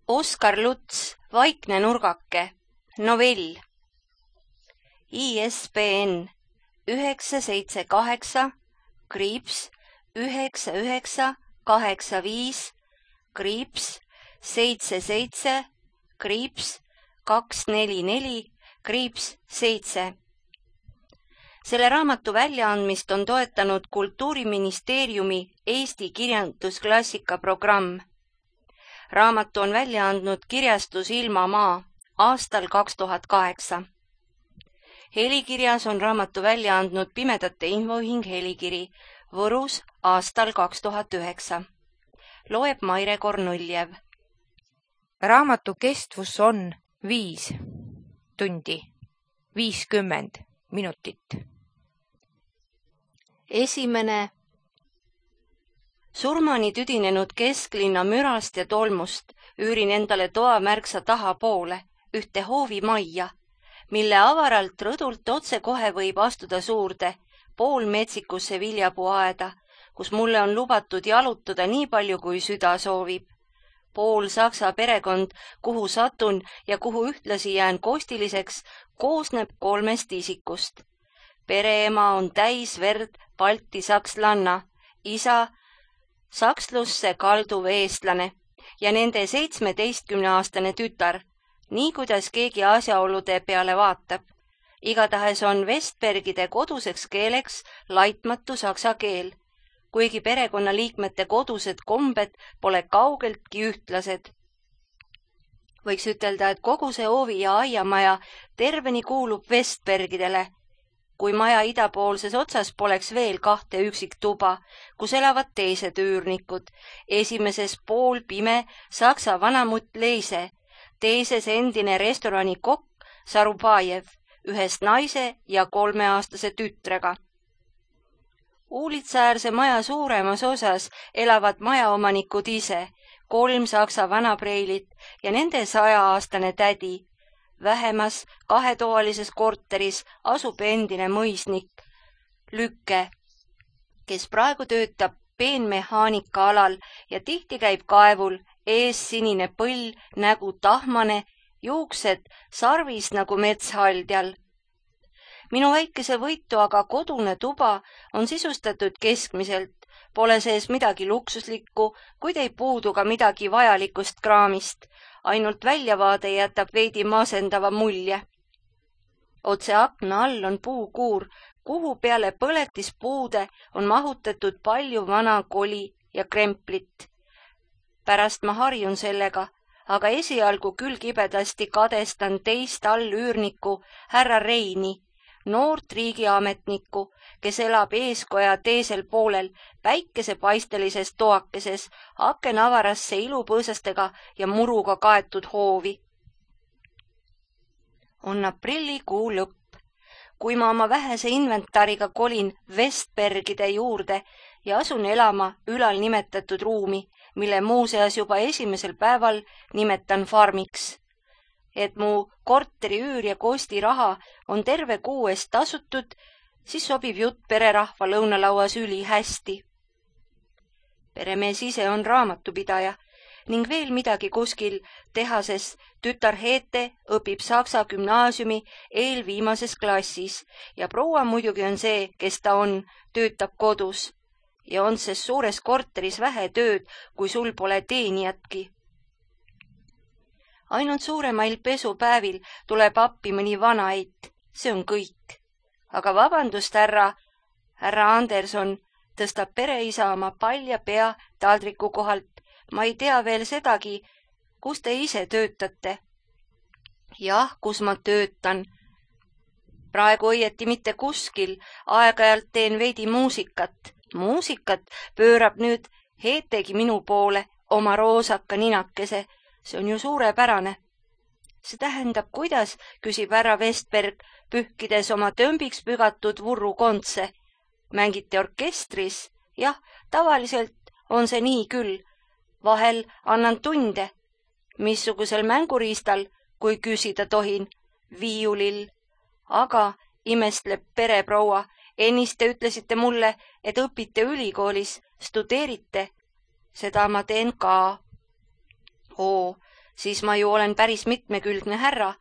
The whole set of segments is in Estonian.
Oskar Luts, Vaikne nurgake, novell. ISBN 978-99-77-244-7. Selle raamatu väljaandmist on toetanud Kultuuriministeeriumi Eesti kirjandusklassika programm. Raamatu on välja andnud kirjastus Ilmamaa aastal 2008. Helikirjas on raamatu välja andnud Pimedate Infoühing Helikiri Võrus aastal 2009. Loeb Maire Kornuljev. Raamatu kestvus on 5 tundi 50 minutit. Esimene. Surmani tüdinenud kesklinna mürast ja tolmust üürin endale toa märksa tahapoole, ühte hoovimajja, mille avaralt rõdult otse kohe võib astuda suurde, poolmetsikusse viljapuuaeda, kus mulle on lubatud jalutada nii palju, kui süda soovib. Pool saksa perekond, kuhu satun ja kuhu ühtlasi jään kostiliseks, koosneb 3 isikust. Pereema on täis verd balti sakslanna, isa sakslusse kalduv eestlane ja nende 17-aastane tütar, nii kuidas keegi asjaolude peale vaatab. Igatahes on Vestbergide koduseks keeleks laitmatu saksa keel, kuigi perekonnaliikmete kodused kombed pole kaugeltki ühtlased. Võiks ütelda, et kogu see hoovi ja aiamaja terveni kuulub Vestbergidele, kui maja idapoolses otsas poleks veel 2 üksiktuba, kus elavad teised üürnikud. Esimeses pool pime saksa vanamutt Leise, teises endine restorani kokk Sarubajev, ühest naise ja 3-aastase tütrega. Uulitsaäärse maja suuremas osas elavad majaomanikud ise, 3 saksa vanapreilit ja nende 100-aastane tädi. Vähemas 2-toalises korteris asub endine mõisnik Lükke, kes praegu töötab peenmehaanika alal ja tihti käib kaevul, ees sinine põll, nägu tahmane, juuksed sarvis nagu metshaldjal. Minu väikese võitu aga kodune tuba on sisustatud keskmiselt, pole sees midagi luksuslikku, kuid ei puudu ka midagi vajalikust kraamist. Ainult väljavaade jätab veidi masendava mulje. Otse akna all on puukuur, kuhu peale põletispuude on mahutatud palju vana koli ja kremplit. Pärast ma harjun sellega, aga esialgu küll kibedasti kadestan teist allüürnikku härra Reini, noort riigiametnikku, kes elab eeskoja teisel poolel päikesepaistelises toakeses akenavarasse ilupõõsastega ja muruga kaetud hoovi. On aprillikuu lõpp, kui ma oma vähese inventariga kolin Vestbergide juurde ja asun elama ülal nimetatud ruumi, mille muuseas juba esimesel päeval nimetan farmiks. Et mu korteri üür ja kostiraha on terve kuu eest tasutud, siis sobib jutt pererahva lõunalauas ülihästi. Peremees ise on raamatupidaja ning veel midagi kuskil tehases. Tütar Heete õpib Saksa gümnaasiumi eelviimases klassis ja proua muidugi on see, kes ta on, töötab kodus ja on ses suures korteris vähe tööd, kui sul pole teenijatki. Ainult suuremail pesupäevil tuleb appi mõni vanaeit, see on kõik. Aga vabandust, härra Anderson, tõstab pereisa oma palja pea taldriku kohalt. Ma ei tea veel sedagi, kus te ise töötate. Jah, kus ma töötan. Praegu õieti mitte kuskil, aeg-ajalt teen veidi muusikat. Muusikat pöörab nüüd Heetegi minu poole oma roosaka ninakese. See on ju suurepärane. See tähendab, kuidas, küsib härra Vestberg, pühkides oma tömbiks pügatud vurru kontse. Mängite orkestris? Jah, tavaliselt on see nii küll. Vahel annan tunde. Missugusel mänguriistal, kui küsida tohin? Viiulil. Aga, imestleb pereproua, ennist te ütlesite mulle, et õpite ülikoolis, studeerite. Seda ma teen ka. Oo, siis ma ju olen päris mitmekülgne härra,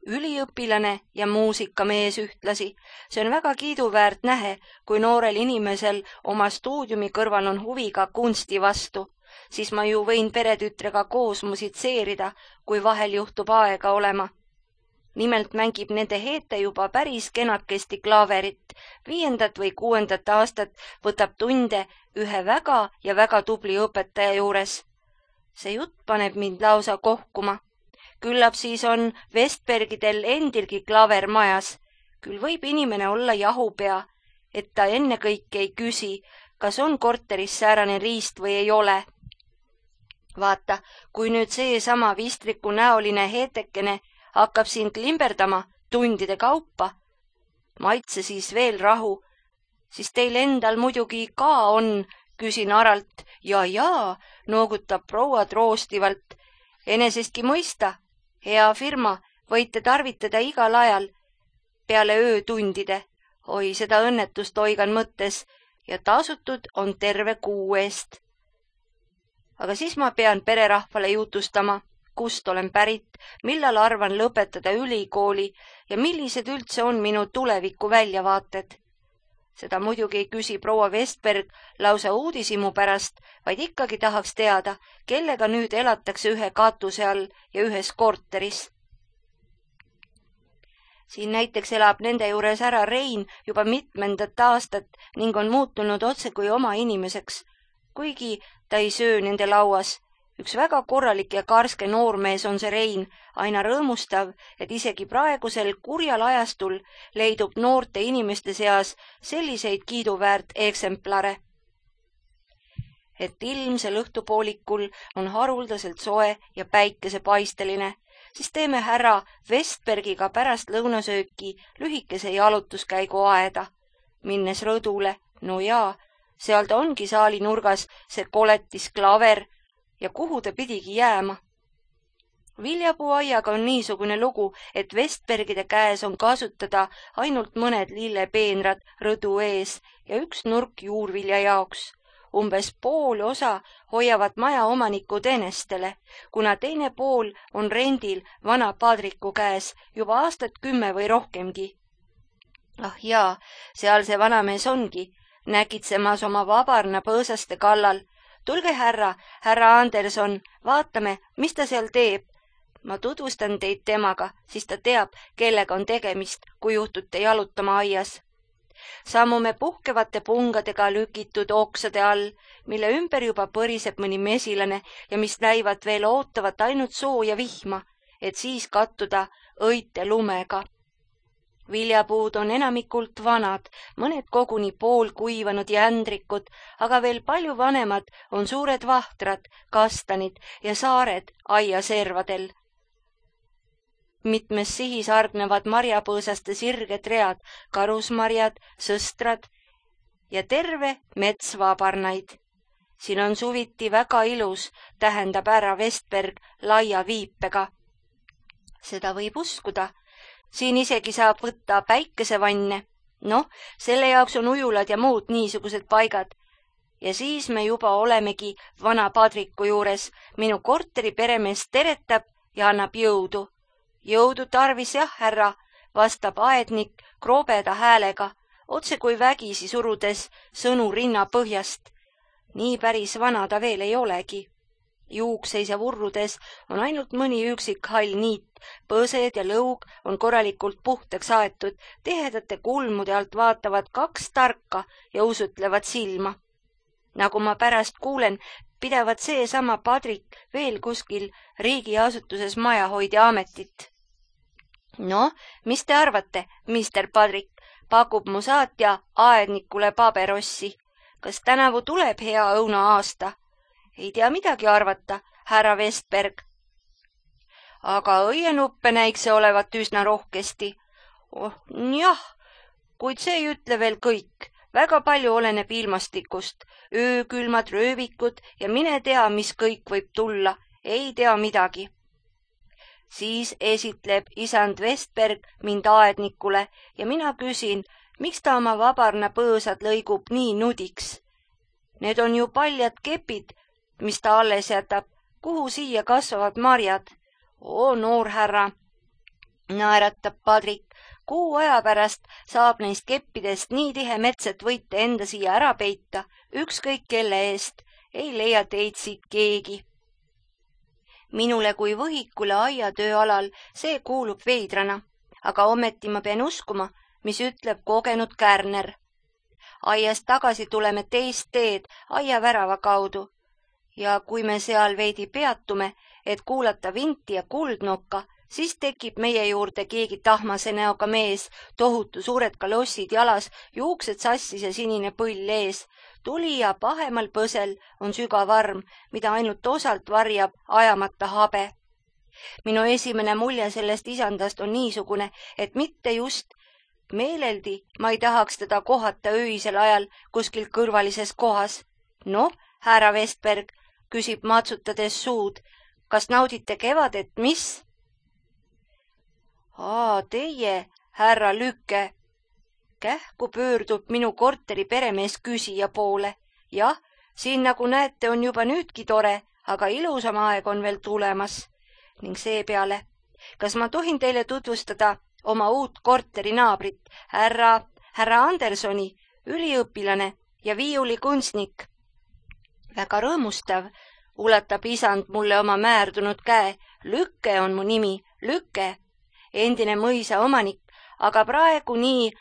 üliõpilane ja muusikamees ühtlasi. See on väga kiiduväärt nähe, kui noorel inimesel oma stuudiumi kõrval on huvi ka kunsti vastu, siis ma ju võin peretütrega koos musitseerida, kui vahel juhtub aega olema. Nimelt mängib nende Heete juba päris kenakesti klaaverit. 5. või 6. aastat võtab tunde ühe väga tubli õpetaja juures. See jutt paneb mind lausa kohkuma. Küllap siis on Vestbergidel endilgi klaaver majas. Küll võib inimene olla jahupea, et ta ennekõike ei küsi, kas on korteris säärane riist või ei ole. Vaata, kui nüüd seesama vistriku näoline Heetekene hakkab siin klimberdama tundide kaupa, maitse siis veel rahu, siis teil endal muidugi ka on, küsin aralt. Jaa, noogutab proua troostivalt. Enesestki mõista, hea firma, võite tarvitada igal ajal peale öötundide. Oi, seda õnnetust oigan mõttes ja tasutud on terve kuu eest. Aga siis ma pean pererahvale jutustama, kust olen pärit, millal arvan lõpetada ülikooli ja millised üldse on minu tuleviku väljavaated. Seda muidugi ei küsi proua Vestberg lausa uudishimu pärast, vaid ikkagi tahaks teada, kellega nüüd elatakse ühe katuse all ja ühes korteris. Siin näiteks elab nende juures ära Rein juba mitmendat aastat ning on muutunud otse kui oma inimeseks, kuigi ta ei söö nende lauas. Üks väga korralik ja karske noormees on see Rein, aina rõõmustav, et isegi praegusel kurjal ajastul leidub noorte inimeste seas selliseid kiiduväärt eksemplare. Et ilmsel õhtupoolikul on haruldaselt soe ja päikesepaisteline, siis teeme härra Vestbergiga pärast lõunasööki lühikese jalutuskäigu aeda, minnes rõdule. No jaa, seal ta ongi saali nurgas, see koletis klaaver, ja kuhu ta pidigi jääma. Viljapuuaiaga on niisugune lugu, et Vestbergide käes on kasutada ainult mõned lillepeenrad rõdu ees ja üks nurk juurvilja jaoks. Umbes pool osa hoiavad maja omanikud enestele, kuna teine pool on rendil vana padriku käes juba aastat 10 või rohkemgi. Ah jaa, seal see vanamees ongi, nägitsemas oma vabarna põõsaste kallal. Tulge härra Anderson, vaatame, mis ta seal teeb. Ma tutvustan teid temaga, siis ta teab, kellega on tegemist, kui juhtute jalutama aias. Sammume puhkevate pungadega lükitud oksade all, mille ümber juba põriseb mõni mesilane ja mis näivad veel ootavat ainult sooja vihma, et siis kattuda õite lumega. Viljapuud on enamikult vanad, mõned koguni poolkuivanud jändrikud, aga veel palju vanemad on suured vahtrad, kastanid ja saared aiaservadel. Mitmes sihis argnevad marjapõõsaste sirged read, karusmarjad, sõstrad ja terve mets vabarnaid. Siin on suviti väga ilus, tähendab härra Vestberg laia viipega. Seda võib uskuda. Siin isegi saab võtta päikesevanne. Noh, selle jaoks on ujulad ja muud niisugused paigad. Ja siis me juba olemegi vana padriku juures. Minu korteri peremees teretab ja annab jõudu. Jõudu tarvis jah, härra, vastab aednik kroobeda häälega, otse kui vägisi surudes sõnu rinna põhjast. Nii päris vana ta veel ei olegi. Juukseis ja vurrudes on ainult mõni üksik hall niit, põõsed ja lõug on korralikult puhtaks aetud, tihedate kulmude alt vaatavad 2 tarka ja usutlevad silma. Nagu ma pärast kuulen, pidevad seesama padrik veel kuskil riigiasutuses majahoidja ametit. No, mis te arvate, mister Padrik, pakub mu saatja aednikule paberossi. Kas tänavu tuleb hea õunaaasta? Ei tea midagi arvata, härra Vestberg. Aga õienuppe näiks see olevat üsna rohkesti. Jah, kuid see ei ütle veel kõik. Väga palju oleneb ilmastikust. Öökülmad röövikud ja mine tea, mis kõik võib tulla. Ei tea midagi. Siis esitleb isand Vestberg mind aednikule ja mina küsin, miks ta oma vabarna põõsad lõigub nii nudiks. Need on ju paljad kepid, mis ta alles jätab, kuhu siia kasvavad marjad. oo, noor härra, naeratab Padrik. Kuu aja pärast saab neist keppidest nii tihe mets, et võite enda siia ära peita, ükskõik kelle eest. Ei leia teid siit keegi. Minule kui võhikule aiatööalal see kuulub veidrana, aga ometi ma pean uskuma, mis ütleb kogenud Kärner. Aiast tagasi tuleme teist teed aiavärava kaudu ja kui me seal veidi peatume, et kuulata vinti ja kuldnokka, siis tekib meie juurde keegi tahmase näoga mees, tohutu suured kalossid jalas, juuksed sassis ja sinine põll ees. Tuli ja pahemal põsel on sügav arm, mida ainult osalt varjab ajamata habe. Minu esimene mulje sellest isandast on niisugune, et mitte just meeleldi ma ei tahaks teda kohata öisel ajal kuskil kõrvalises kohas. Noh, härra Vestberg, küsib matsutades suud, kas naudite kevadet, mis? Teie, härra Lükke. Kähku pöördub minu korteri peremees küsija poole. Jah, siin nagu näete on juba nüüdki tore, aga ilusam aeg on veel tulemas. Ning seepeale, kas ma tohin teile tutvustada oma uut korteri naabrit, härra Andersoni, üliõpilane ja viiulikunstnik? Väga rõõmustav, ulatab isand mulle oma määrdunud käe. Lükke on mu nimi, Lükke, endine mõisa omanik, aga praegu nii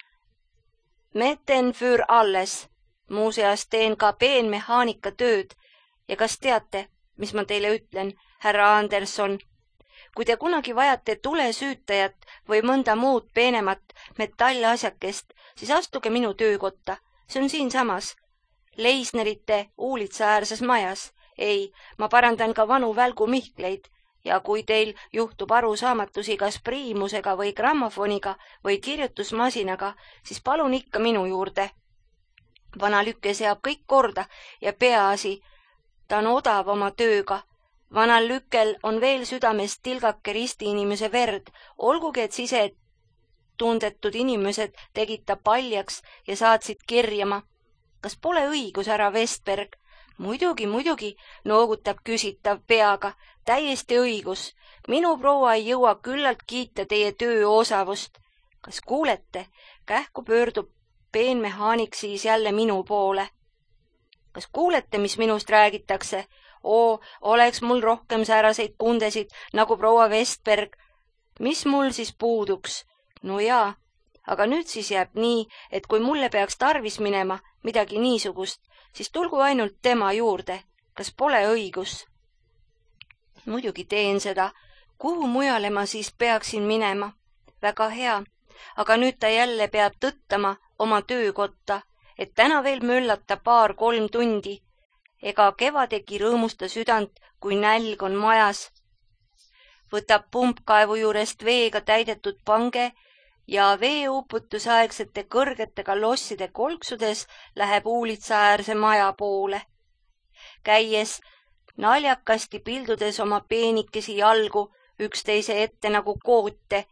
meten für alles. Muuseas teen ka peenmehaanika tööd. Ja kas teate, mis ma teile ütlen, härra Anderson? Kui te kunagi vajate tulesüütajat või mõnda muud peenemat metallasjakest, siis astuge minu töökotta. See on siinsamas. Leisnerite uulitsaäärses majas. Ei, ma parandan ka vanu välgumihkleid. Ja kui teil juhtub arusaamatusi kas priimusega või grammofoniga või kirjutusmasinaga, siis palun ikka minu juurde. Vana Lükke seab kõik korda ja peaasi, ta on odav oma tööga. Vanal Lükkel on veel südames tilgake risti inimese verd, olgugi et sisetundetud inimesed tegid ta paljaks ja saatsid kirjama. Kas pole õigus, härra Vestberg? Muidugi, noogutab küsitav peaga. Täiesti õigus. Minu proua ei jõua küllalt kiita teie töö osavust. Kas kuulete? Kähku pöördub peenmehaanik siis jälle minu poole. Kas kuulete, mis minust räägitakse? Oleks mul rohkem sääraseid kundesid nagu proua Vestberg. Mis mul siis puuduks? No jaa, aga nüüd siis jääb nii, et kui mulle peaks tarvis minema midagi niisugust, siis tulgu ainult tema juurde. Kas pole õigus? Muidugi teen seda. Kuhu mujale ma siis peaksin minema? Väga hea, aga nüüd ta jälle peab tõttama oma töökotta, et täna veel möllata 2-3 tundi. Ega kevadegi rõõmusta südant, kui nälg on majas. Võtab pumpkaevu juurest veega täidetud pange ja veeuputusaegsete kõrgete kalosside kolksudes läheb uulitsaäärse maja poole. Käies naljakasti pildudes oma peenikesi jalgu üksteise ette nagu koote.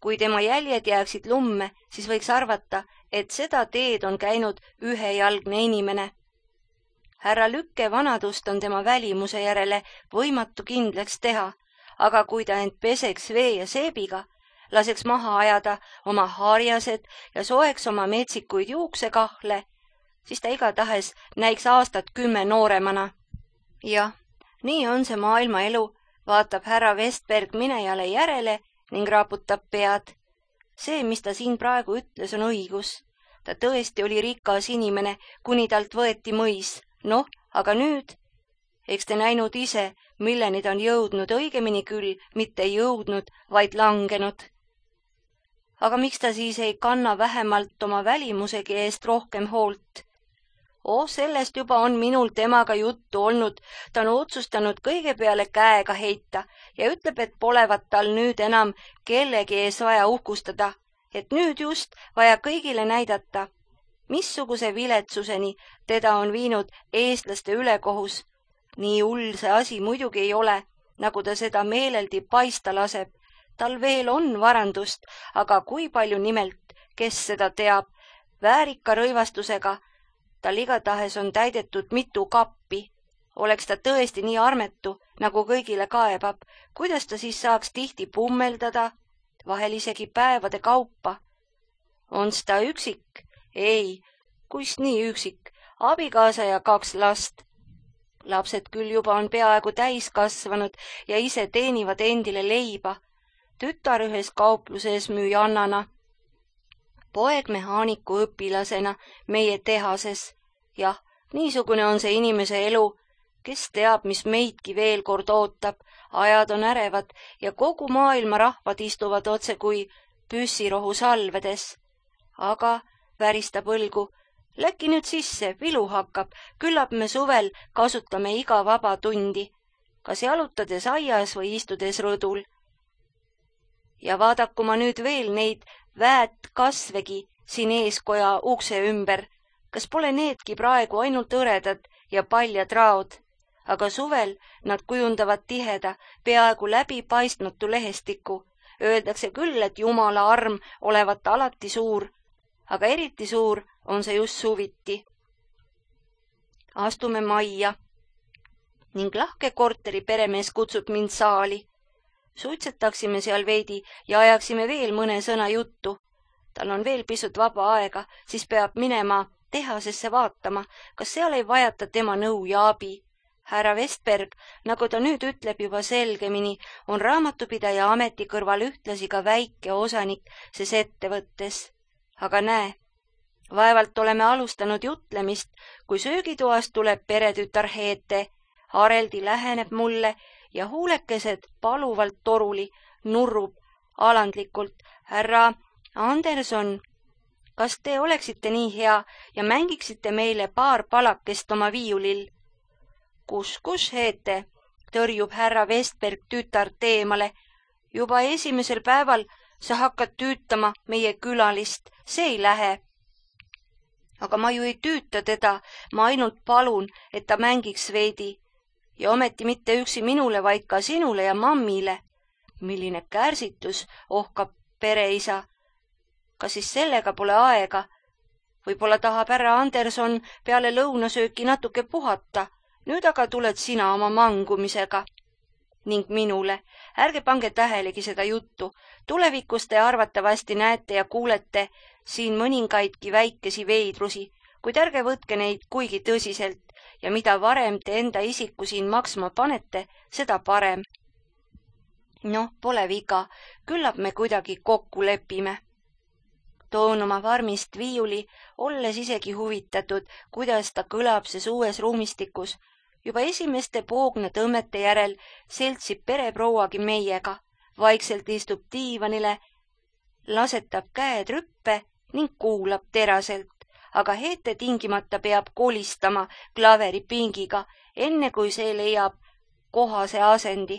Kui tema jäljed jääksid lumme, siis võiks arvata, et seda teed on käinud ühejalgne inimene. Härra Lükke vanadust on tema välimuse järele võimatu kindlaks teha, aga kui ta end peseks vee ja seebiga, laseks maha ajada oma harjased ja soeks oma metsikuid juuksekahle, siis ta igatahes näiks aastat 10 nooremana. Jah, nii on see maailma elu, vaatab härra Vestberg minejale järele ning raaputab pead. See, mis ta siin praegu ütles, on õigus. Ta tõesti oli rikas inimene, kuni talt võeti mõis. Noh, aga nüüd? Eks te näinud ise, milleni ta on jõudnud, õigemini küll, mitte jõudnud, vaid langenud. Aga miks ta siis ei kanna vähemalt oma välimusegi eest rohkem hoolt? Sellest juba on minul temaga juttu olnud. Ta on otsustanud kõige peale käega heita ja ütleb, et polevat tal nüüd enam kellegi ees vaja uhkustada, et nüüd just vaja kõigile näidata, missuguse viletsuseni teda on viinud eestlaste ülekohus. Nii hull see asi muidugi ei ole, nagu ta seda meeleldi paista laseb. Tal veel on varandust, aga kui palju nimelt, kes seda teab, väärika rõivastusega. Tal igatahes on täidetud mitu kappi. Oleks ta tõesti nii armetu, nagu kõigile kaebab, kuidas ta siis saaks tihti pummeldada, vahel isegi päevade kaupa? On's ta üksik? Ei, kuis nii üksik, abikaasa ja 2 last. Lapsed küll juba on peaaegu täiskasvanud ja ise teenivad endile leiba. Tütar ühes kaupluses müüjannana, poeg mehaaniku õpilasena meie tehases. Jah, niisugune on see inimese elu, kes teab, mis meidki veel kord ootab. Ajad on ärevad ja kogu maailma rahvad istuvad otse kui püssirohu salvedes. Aga väristab õlgu. Läki nüüd sisse, vilu hakkab, küllap me suvel kasutame iga vaba tundi, kas jalutades aias või istudes rõdul. Ja vaadaku ma nüüd veel neid väät kasvegi siin eeskoja ukse ümber, kas pole needki praegu ainult õredad ja paljad raod, aga suvel nad kujundavad tiheda, peaaegu läbipaistmatu lehestiku. Öeldakse küll, et Jumala arm olevat alati suur, aga eriti suur on see just suviti. Astume majja ning lahke korteri peremees kutsub mind saali. Suitsetaksime seal veidi ja ajaksime veel mõne sõna juttu. Tal on veel pisut vaba aega, siis peab minema tehasesse vaatama, kas seal ei vajata tema nõu ja abi. Härra Vestberg, nagu ta nüüd ütleb juba selgemini, on raamatupidaja ameti kõrval ühtlasi ka väike osanik ses ettevõttes. Aga näe, vaevalt oleme alustanud jutlemist, kui söögitoast tuleb peretütar Heete. Hareldi läheneb mulle ja huulekesed paluvalt toruli, nurrub alandlikult. Härra Anderson, kas te oleksite nii hea ja mängiksite meile paar palakest oma viiulil? Kus, Heete, tõrjub härra Vestberg tütart eemale. Juba esimesel päeval sa hakkad tüütama meie külalist, see ei lähe. Aga ma ju ei tüüta teda, ma ainult palun, et ta mängiks veidi. Ja ometi mitte üksi minule, vaid ka sinule ja mammile. Milline kärsitus, ohkab pereisa. Kas siis sellega pole aega? Võib-olla tahab härra Anderson peale lõunasööki natuke puhata. Nüüd aga tuled sina oma mangumisega. Ning minule, ärge pange tähelegi seda juttu. Tulevikus te arvatavasti näete ja kuulete siin mõningaidki väikesi veidrusi, kuid ärge võtke neid kuigi tõsiselt ja mida varem te enda isiku siin maksma panete, seda parem. Noh, pole viga, küllap me kuidagi kokku lepime. Toon oma farmist viiuli, olles isegi huvitatud, kuidas ta kõlab ses uues ruumistikus. Juba esimeste poogna tõmmete järel seltsib pereprouagi meiega, vaikselt istub diivanile, lasetab käed rüppe ning kuulab teraselt, aga Heete tingimata peab kolistama klaveripingiga, enne kui see leiab kohase asendi.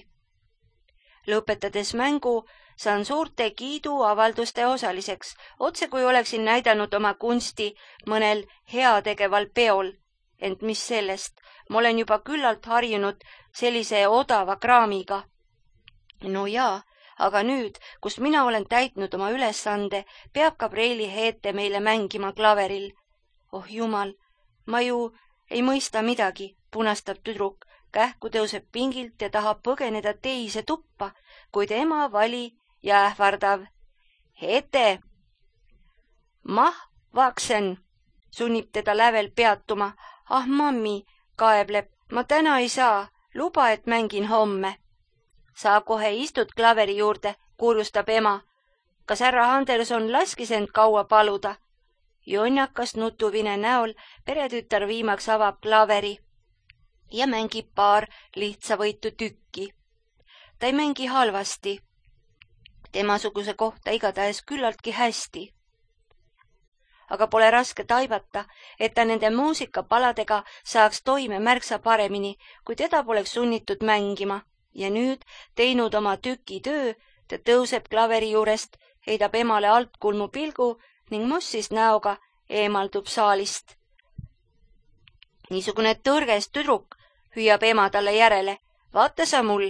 Lõpetades mängu saan suurte kiiduavalduste osaliseks, otse kui oleksin näidanud oma kunsti mõnel heategeval peol. Ent mis sellest, ma olen juba küllalt harjunud sellise odava kraamiga. No jaa, aga nüüd, kus mina olen täitnud oma ülesande, peab Gabrieli Heete meile mängima klaveril. Oh jumal, ma ju ei mõista midagi, punastab tüdruk, kähku tõuseb pingilt ja tahab põgeneda teise tuppa, kuid ema vali ja ähvardav. Heete! Mah, vaksen, sunnib teda lävel peatuma. Ah, mammi, kaebleb, ma täna ei saa, luba, et mängin homme. Sa kohe istud klaveri juurde, kurjustab ema. Kas härra Anderson laskis end kaua paluda? Jonnakas nutuvine näol peretütar viimaks avab klaveri ja mängib paar lihtsavõitu tükki. Ta ei mängi halvasti. Temasuguse kohta igatahes küllaltki hästi. Aga pole raske taibata, et ta nende muusikapaladega saaks toime märksa paremini, kui teda poleks sunnitud mängima. Ja nüüd, teinud oma tüki töö, ta tõuseb klaveri juurest, heidab emale altkulmu pilgu ning mossis näoga eemaldub saalist. Niisugune tõrges tüdruk, hüüab ema talle järele. Vaata sa mul,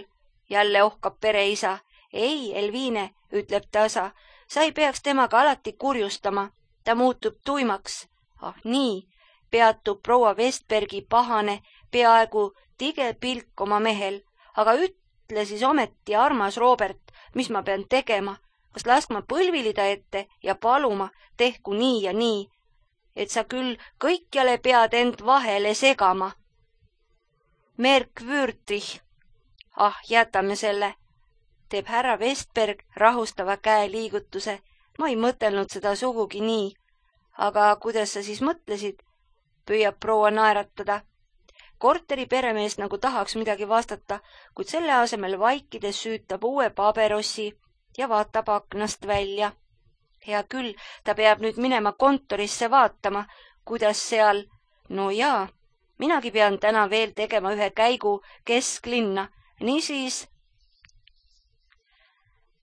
jälle ohkab pereisa. Ei, Elviine, ütleb tasa, sa ei peaks temaga alati kurjustama. Ta muutub tuimaks. Ah nii, peatub proua Vestbergi pahane, peaaegu tige pilk oma mehel. Aga ütle siis ometi, armas Robert, mis ma pean tegema? Kas laskma põlvilida ette ja paluma, tehku nii ja nii, et sa küll kõikjale pead end vahele segama? Merkwürdig. Ah, jätame selle, teeb härra Vestberg rahustava käeliigutuse. Ma ei mõtelnud seda sugugi nii. Aga kuidas sa siis mõtlesid? Püüab proua naeratada. Korteri peremees nagu tahaks midagi vastata, kuid selle asemel vaikides süütab uue paberossi ja vaatab aknast välja. Hea küll, ta peab nüüd minema kontorisse vaatama, kuidas seal. No jaa, minagi pean täna veel tegema ühe käigu kesklinna, niisiis